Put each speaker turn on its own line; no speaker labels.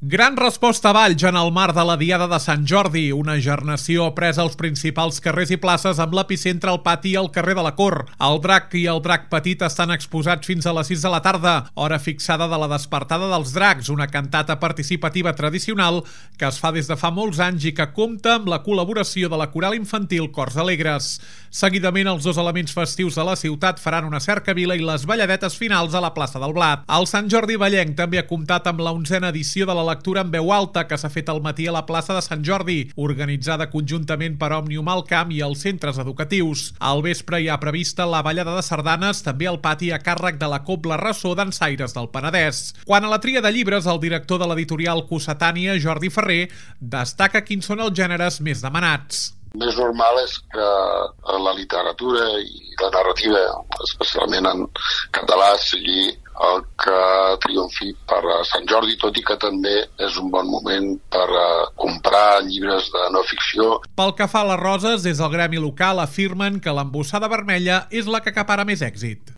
Gran resposta a Valls en el marc de la Diada de Sant Jordi, una gernació presa als principals carrers i places amb l'epicentre al pati i al carrer de la Cor. El drac i el drac petit estan exposats fins a les 6 de la tarda, hora fixada de la despertada dels dracs, una cantata participativa tradicional que es fa des de fa molts anys i que compta amb la col·laboració de la coral infantil Cors Alegres. Seguidament, els dos elements festius de la ciutat faran una cercavila i les balladetes finals a la plaça del Blat. El Sant Jordi Vallenc també ha comptat amb la 11a edició de la lectura en veu alta que s'ha fet al matí a la plaça de Sant Jordi, organitzada conjuntament per Òmnium al Camp i els centres educatius. Al vespre hi ha prevista la ballada de sardanes, també al pati a càrrec de la Cobla Ressó d'Ensaires del Penedès. Quant a la tria de llibres, el director de l'editorial Cossetània, Jordi Ferrer, destaca quins són els gèneres més demanats.
Més normal és que la literatura i la narrativa, especialment en català, sigui el que triomfi per a Sant Jordi, tot i que també és un bon moment per comprar llibres de no ficció.
Pel que fa a les roses, des del gremi local afirmen que l'embossada vermella és la que acapara més èxit.